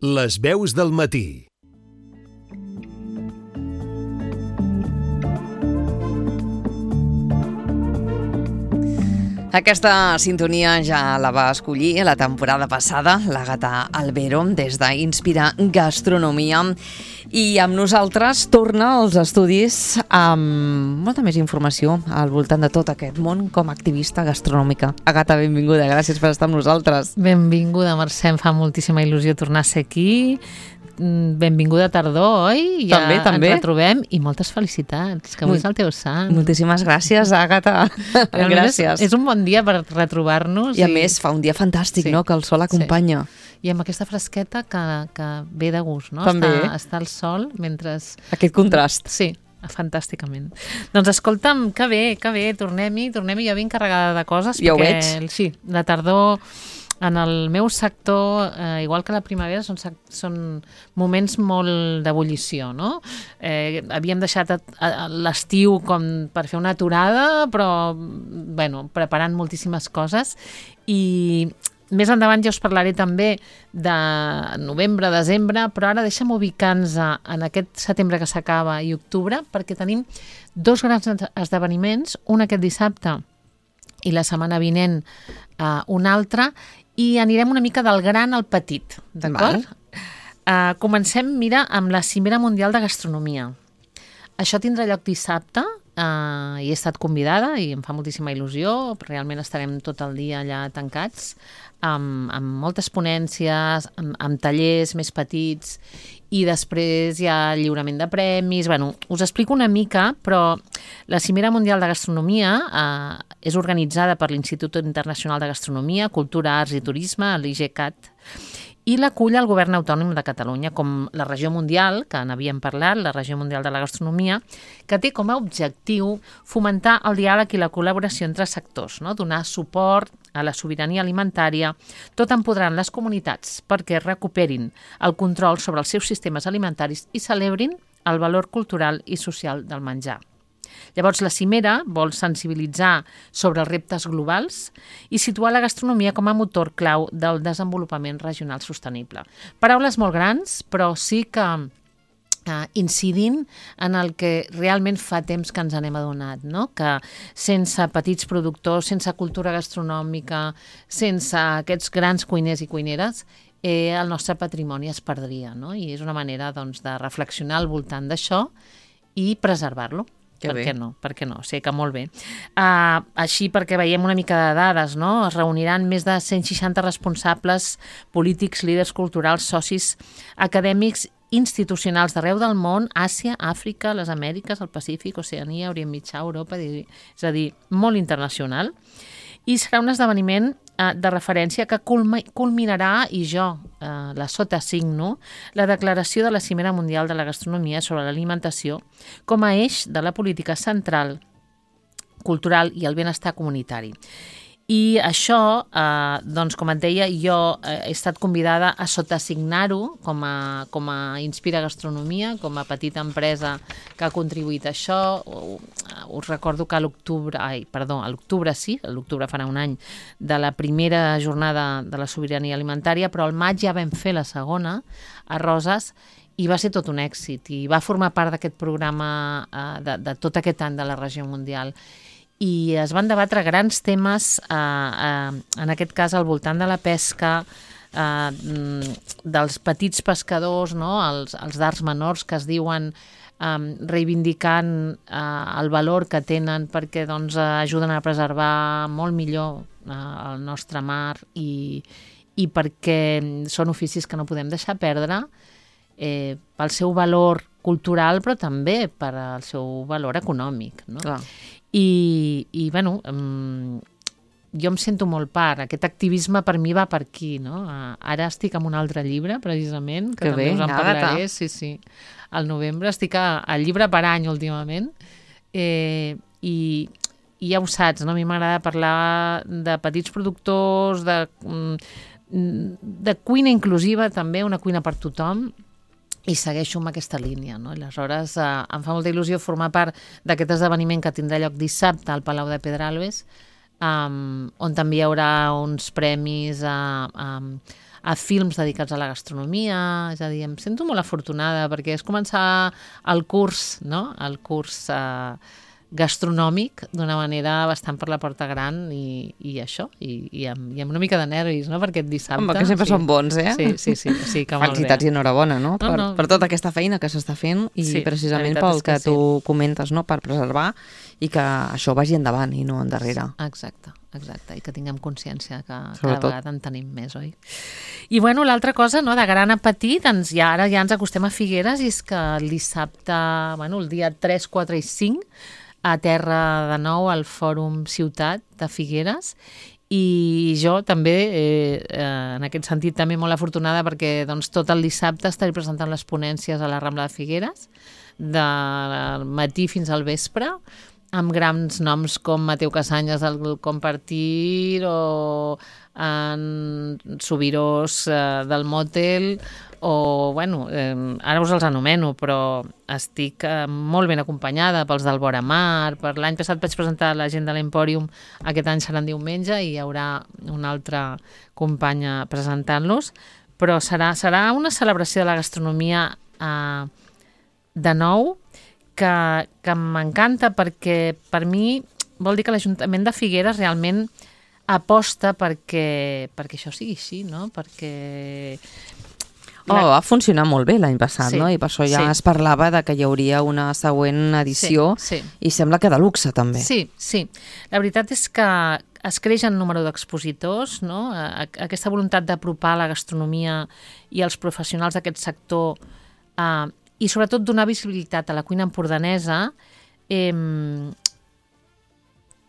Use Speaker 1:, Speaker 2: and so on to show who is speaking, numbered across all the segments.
Speaker 1: Les veus del matí.
Speaker 2: Aquesta sintonia ja la va escollir la temporada passada l'Àgata Albero des d'Inspira Gastronomia i amb nosaltres torna als estudis amb molta més informació al voltant de tot aquest món com a activista gastronòmica. Àgata, benvinguda, gràcies per estar amb nosaltres.
Speaker 3: Benvinguda, Mercè, em fa moltíssima il·lusió tornar a ser aquí. Benvinguda tardor, oi? Ja
Speaker 2: també.
Speaker 3: Ens retrobem i moltes felicitats, que avui és el teu sant.
Speaker 2: Moltíssimes gràcies, Àgata. Gràcies.
Speaker 3: És un bon dia per retrobar-nos.
Speaker 2: I a més fa un dia fantàstic, no?, que el sol acompanya.
Speaker 3: I amb aquesta fresqueta que ve de gust, no?
Speaker 2: També.
Speaker 3: Està al sol mentre...
Speaker 2: Aquest contrast.
Speaker 3: Sí, fantàsticament. Doncs escolta'm, que bé, tornem-hi. Jo vinc carregada de coses.
Speaker 2: Ja ho
Speaker 3: perquè,
Speaker 2: veig.
Speaker 3: Sí, la tardor... En el meu sector, igual que la primavera, són moments molt d'ebullició, no? Havíem deixat l'estiu com per fer una aturada, però, bueno, preparant moltíssimes coses. I més endavant ja us parlaré també de novembre, desembre, però ara deixa'm ubicar-nos en aquest setembre que s'acaba i octubre, perquè tenim dos grans esdeveniments, un aquest dissabte i la setmana vinent un altre, i anirem una mica del gran al petit, d'acord? Comencem, mira, amb la Cimera Mundial de Gastronomia. Això tindrà lloc dissabte, i he estat convidada i em fa moltíssima il·lusió, realment estarem tot el dia allà tancats, amb moltes ponències, amb tallers més petits, i després hi ha lliurament de premis. Bueno, us explico una mica, però la Cimera Mundial de Gastronomia és organitzada per l'Institut Internacional de Gastronomia, Cultura, Arts i Turisme, l'IGCAT, i l'acull el Govern Autònom de Catalunya, com la regió mundial, que n'havíem parlat, la regió mundial de la gastronomia, que té com a objectiu fomentar el diàleg i la col·laboració entre sectors, no? Donar suport a la sobirania alimentària, tot empoderant les comunitats perquè recuperin el control sobre els seus sistemes alimentaris i celebrin el valor cultural i social del menjar. Llavors, la cimera vol sensibilitzar sobre els reptes globals i situar la gastronomia com a motor clau del desenvolupament regional sostenible. Paraules molt grans, però sí que incidint en el que realment fa temps que ens n'hem adonat, no? Que sense petits productors, sense cultura gastronòmica, sense aquests grans cuiners i cuineres, el nostre patrimoni es perdria, no? I és una manera, doncs, de reflexionar al voltant d'això i preservar-lo. Per què no? Sé que molt bé. Així, perquè veiem una mica de dades, no? Es reuniran més de 160 responsables polítics, líders culturals, socis acadèmics, institucionals d'arreu del món, Àsia, Àfrica, les Amèriques, el Pacífic, Oceania, Orient Mitjà, Europa, és a dir, molt internacional. I serà un esdeveniment de referència que culminarà, i jo la sotasigno, la declaració de la Cimera Mundial de la Gastronomia sobre l'alimentació com a eix de la política central, cultural i el benestar comunitari. I això, doncs, com et deia, jo he estat convidada a sotasignar-ho com a Inspira Gastronomia, com a petita empresa que ha contribuït a això. Us recordo que a l'octubre farà un any, de la primera jornada de la sobirania alimentària, però al maig ja vam fer la segona a Roses i va ser tot un èxit i va formar part d'aquest programa de tot aquest any de la regió mundial. I es van debatre grans temes, en aquest cas al voltant de la pesca, dels petits pescadors, no? els d'arts menors que es diuen, reivindicant el valor que tenen perquè doncs, ajuden a preservar molt millor el nostre mar i perquè són oficis que no podem deixar perdre pel seu valor cultural però també per al seu valor econòmic, no?
Speaker 2: Clar.
Speaker 3: I bueno, jo em sento molt part. Aquest activisme per mi va per aquí, no? Ara estic amb un altre llibre, precisament, que també us en parlaré. Sí. Al novembre estic al llibre per any, últimament. I ja ho saps, no? A mi m'agrada parlar de petits productors, de cuina inclusiva, també, una cuina per tothom, i segueixo amb aquesta línia, no? I aleshores em fa molta il·lusió formar part d'aquest esdeveniment que tindrà lloc dissabte al Palau de Pedralbes, on també hi haurà uns premis a films dedicats a la gastronomia, és a dir, em sento molt afortunada perquè és començar el curs, no? El curs gastronòmic d'una manera bastant per la porta gran i això, i amb una mica de nervis, no? Perquè aquest dissabte...
Speaker 2: Home, que sempre són bons, eh?
Speaker 3: Sí, que molt bé.
Speaker 2: Felicitats i enhorabona, no? Per tota aquesta feina que s'està fent i precisament pel que tu comentes, no? Per preservar i que això vagi endavant i no endarrere.
Speaker 3: Exacte, i que tinguem consciència que cada vegada en tenim més, oi? I bueno, l'altra cosa, no? De gran a petit, ara ja ens acostem a Figueres i és que el dissabte, bueno, el dia 3, 4 i 5 a terra de nou al Fòrum Ciutat de Figueres i jo també, en aquest sentit, també molt afortunada perquè doncs, tot el dissabte estaré presentant les ponències a la Rambla de Figueres del matí fins al vespre amb grans noms com Mateu Casanyes del Compartir o en Subirós del Motel o, bueno, ara us els anomeno, però estic molt ben acompanyada pels del Vora Mar. Per l'any passat vaig presentar la gent de l'Empòrium, aquest any serà en diumenge i hi haurà una altra companya presentant-los, però serà una celebració de la gastronomia de nou que m'encanta perquè per mi vol dir que l'Ajuntament de Figueres realment aposta perquè això sigui així, no? Perquè...
Speaker 2: va funcionar molt bé l'any passat, no? I per això ja es parlava de que hi hauria una següent edició i sembla que de luxe també.
Speaker 3: Sí. La veritat és que es creix en número d'expositors, no? Aquesta voluntat d'apropar la gastronomia i els professionals d'aquest sector i sobretot donar visibilitat a la cuina empordanesa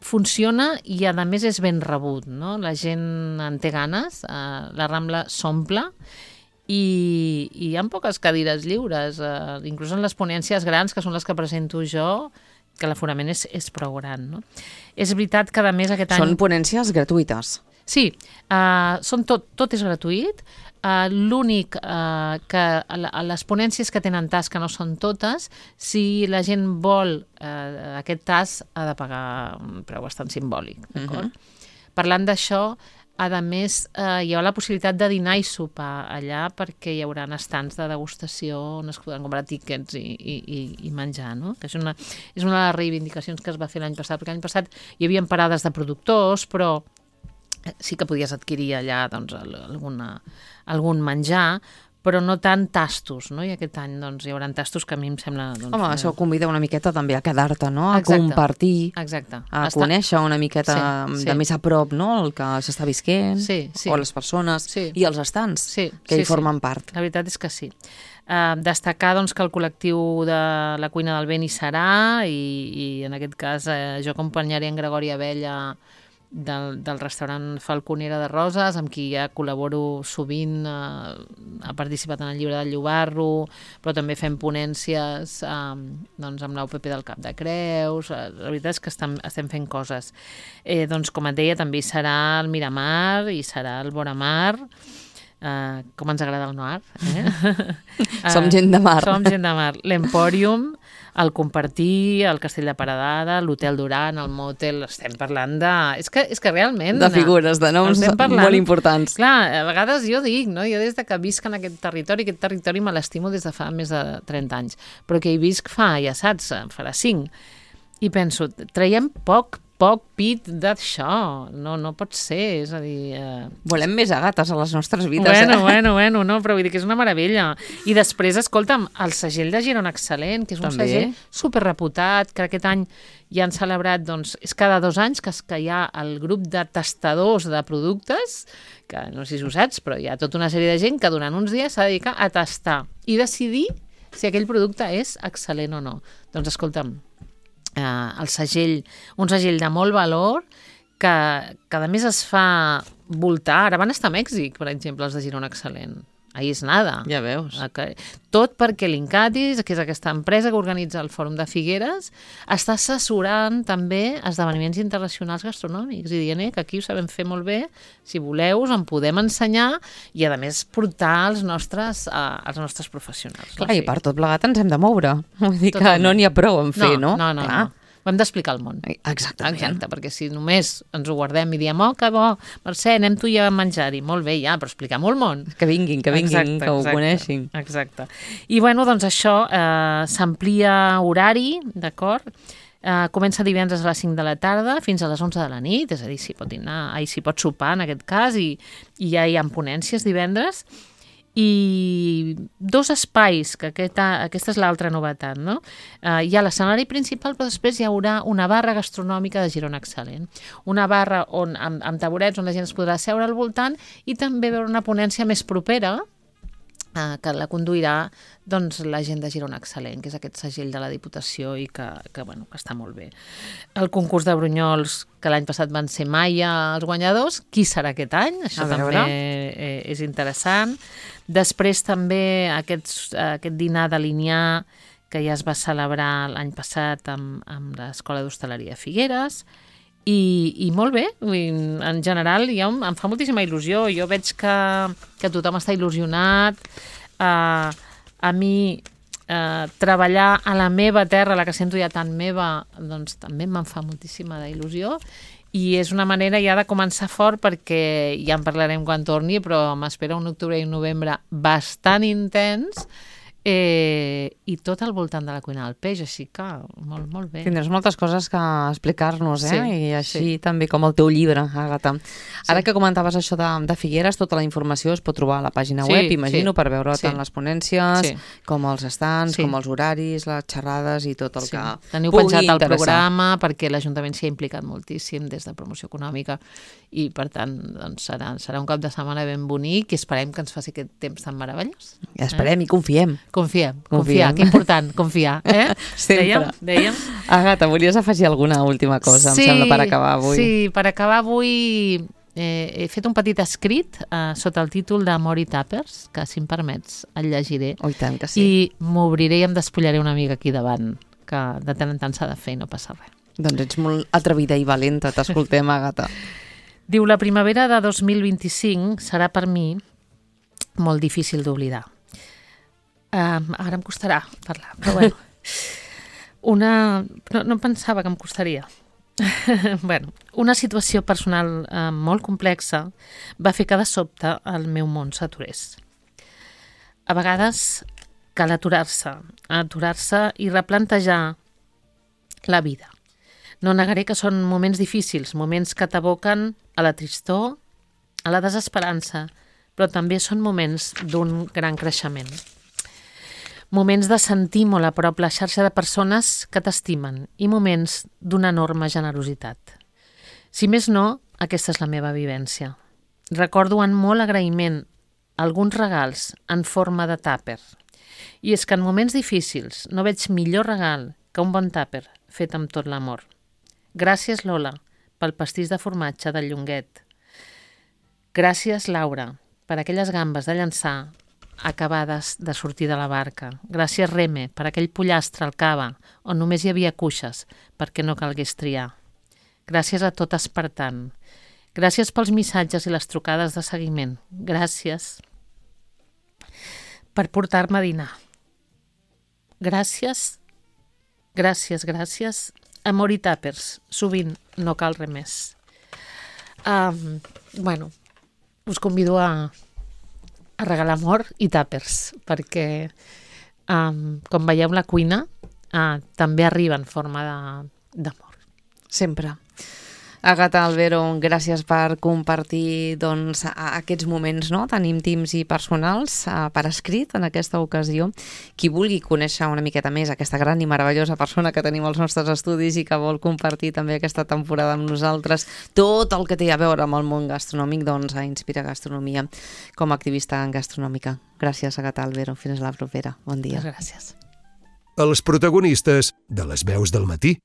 Speaker 3: funciona i a més és ben rebut, no? La gent en té ganes, la Rambla s'omple i hi ha poques cadires lliures, inclús en les ponències grans, que són les que presento jo, que l'aforament és prou gran, no? És veritat que a més aquest any...
Speaker 2: Són ponències gratuïtes.
Speaker 3: Sí, tot és gratuït. L'únic que les ponències que tenen tas, que no són totes, si la gent vol aquest tas ha de pagar un preu bastant simbòlic, d'acord? Parlant d'això, a més hi ha la possibilitat de dinar i sopar allà perquè hi haurà estants de degustació on es podran comprar tíquets i menjar, no? Que és una de les reivindicacions que es va fer l'any passat, perquè l'any passat hi havia parades de productors, però sí que podies adquirir allà doncs, algun menjar, però no tant tastos, no? I aquest any doncs, hi haurà tastos que a mi em sembla... Doncs,
Speaker 2: home, això convida una miqueta també a quedar-te, no? A compartir, a conèixer una miqueta de més a prop, no? El que s'està visquent, o les persones, i els estants, que hi formen part.
Speaker 3: La veritat és que sí. Destacar doncs, que el col·lectiu de la cuina del vent hi serà i en aquest cas jo acompanyaré en Gregori Abella del restaurant Falconera de Roses, amb qui ja col·laboro sovint, ha participat en el llibre del Llobarro, però també fem ponències doncs, amb l'UPP del Cap de Creus. La veritat és que estem fent coses. Doncs, com et deia, també hi serà el Miramar i serà el Vora Mar. Com ens agrada el Noir,
Speaker 2: Som gent de mar.
Speaker 3: Som gent de mar. L'Empòrium, el Compartir, el Castell de Paredada, l'Hotel Duran, el Motel, estem parlant de... És que realment...
Speaker 2: De figures, de noms molt importants.
Speaker 3: Clar, a vegades jo dic, no? Jo des de que visc en aquest territori me l'estimo des de fa més de 30 anys, però que hi visc fa, ja saps, farà 5. I penso, traiem poc pit d'això, no pot ser, és a dir...
Speaker 2: Volem més agates a les nostres vides,
Speaker 3: Bueno, no, però vull dir que és una meravella. I després, escolta'm, el segell de Girona Excel·lent, que és un segell superreputat, que aquest any ja han celebrat, doncs, és cada 2 anys que hi ha el grup de tastadors de productes, que no sé si ho saps, però hi ha tota una sèrie de gent que durant uns dies s'ha de dedicar a tastar i decidir si aquell producte és excel·lent o no. Doncs, escolta'm, un segell de molt valor que a més es fa voltar. Ara van estar a Mèxic, per exemple, els de Girona Excel·lent. Ahí és nada.
Speaker 2: Ja veus.
Speaker 3: Tot perquè l'Incatis, que és aquesta empresa que organitza el Fòrum de Figueres, està assessorant també esdeveniments internacionals gastronòmics i dient que aquí ho sabem fer molt bé, si voleu us en podem ensenyar i a més portar als nostres professionals.
Speaker 2: Clar, i per tot plegat ens hem de moure. Vull dir que no n'hi ha prou en fer, no?
Speaker 3: No. Ho hem d'explicar al món.
Speaker 2: Exactament.
Speaker 3: Exacte, perquè si només ens ho guardem i diem, oh, que bo, Mercè, anem tu i a menjar-hi. Molt bé, ja, però expliquem-ho al món.
Speaker 2: Que vinguin,
Speaker 3: Exacte,
Speaker 2: que ho coneixin.
Speaker 3: Exacte. I bueno, doncs això, s'amplia horari, d'acord? Comença divendres a les 5 de la tarda fins a les 11 de la nit, és a dir, s'hi pot dinar, s'hi pot sopar en aquest cas, i ja hi ha ponències divendres. I 2 espais, que aquesta és l'altra novetat, no? Hi ha l'escenari principal, però després hi haurà una barra gastronòmica de Girona Excel·lent. Una barra amb taburets on la gent es podrà seure al voltant i també veure una ponència més propera que la conduirà doncs, la gent de Girona Excel·lent, que és aquest segell de la Diputació i que està molt bé. El concurs de brunyols, que l'any passat van ser Maia els guanyadors, qui serà aquest any? Això també és interessant. Després també aquest dinar de Linyà, que ja es va celebrar l'any passat amb l'Escola d'Hostaleria Figueres, i molt bé, en general em fa moltíssima il·lusió, jo veig que tothom està il·lusionat, a mi treballar a la meva terra, la que sento ja tan meva, doncs també me'n fa moltíssima il·lusió, i és una manera ja de començar fort, perquè ja en parlarem quan torni, però m'espera un octubre i un novembre bastant intens, i tot al voltant de la cuina del peix, així que molt, molt bé.
Speaker 2: Tindràs moltes coses que explicar-nos,
Speaker 3: Sí,
Speaker 2: i així també com el teu llibre, Àgata. Ara que comentaves això de Figueres, tota la informació es pot trobar a la pàgina web, imagino, per veure tant les ponències, com els estants, com els horaris, les xerrades i tot el que
Speaker 3: teniu
Speaker 2: pugui
Speaker 3: penjat el
Speaker 2: interessar.
Speaker 3: programa, perquè l'Ajuntament s'hi ha implicat moltíssim des de promoció econòmica, i per tant doncs, serà un cap de setmana ben bonic, i esperem que ens faci aquest temps tan meravellós.
Speaker 2: Esperem i confiem.
Speaker 3: Confiar, que important, confiar.
Speaker 2: Sempre.
Speaker 3: Dèiem.
Speaker 2: Àgata, volies afegir alguna última cosa, em sembla, per acabar avui?
Speaker 3: Sí, per acabar avui he fet un petit escrit sota el títol de Mori Tàpers, que si em permets el llegiré.
Speaker 2: Oh, i tant que sí.
Speaker 3: I m'obriré i em despullaré una mica aquí davant, que de tant en tant s'ha de fer i no passa res.
Speaker 2: Doncs ets molt atrevida i valenta, t'escoltem, Àgata.
Speaker 3: Diu, la primavera de 2025 serà per mi molt difícil d'oblidar. Ara em costarà parlar, però bueno. No pensava que em costaria. Bueno, una situació personal molt complexa va fer que de sobte el meu món s'aturés. A vegades cal aturar-se i replantejar la vida. No negaré que són moments difícils, moments que t'aboquen a la tristor, a la desesperança, però també són moments d'un gran creixement. Moments de sentir molt a prop la xarxa de persones que t'estimen i moments d'una enorme generositat. Si més no, aquesta és la meva vivència. Recordo amb molt agraïment alguns regals en forma de tàper. I és que en moments difícils no veig millor regal que un bon tàper fet amb tot l'amor. Gràcies, Lola, pel pastís de formatge del Llonguet. Gràcies, Laura, per aquelles gambes de llançar acabades de sortir de la barca. Gràcies, Reme, per aquell pollastre al cava, on només hi havia cuixes, perquè no calgués triar. Gràcies a tot Espartant. Gràcies pels missatges i les trucades de seguiment. Gràcies per portar-me a dinar. Gràcies, amor i tàpers. Sovint no cal res més. Bueno, us convido a regalar amor i tàpers, perquè, com veieu, la cuina també arriba en forma d'amor.
Speaker 2: Sempre. Àgata Albero, gràcies per compartir aquests moments tan íntims i personals per escrit en aquesta ocasió. Qui vulgui conèixer una miqueta més aquesta gran i meravellosa persona que tenim als nostres estudis i que vol compartir també aquesta temporada amb nosaltres, tot el que té a veure amb el món gastronòmic, a Inspira Gastronomia com a activista gastronòmica. Gràcies, Àgata Albero. Fins la propera. Bon dia.
Speaker 3: Gràcies.
Speaker 1: Els protagonistes de les veus del matí.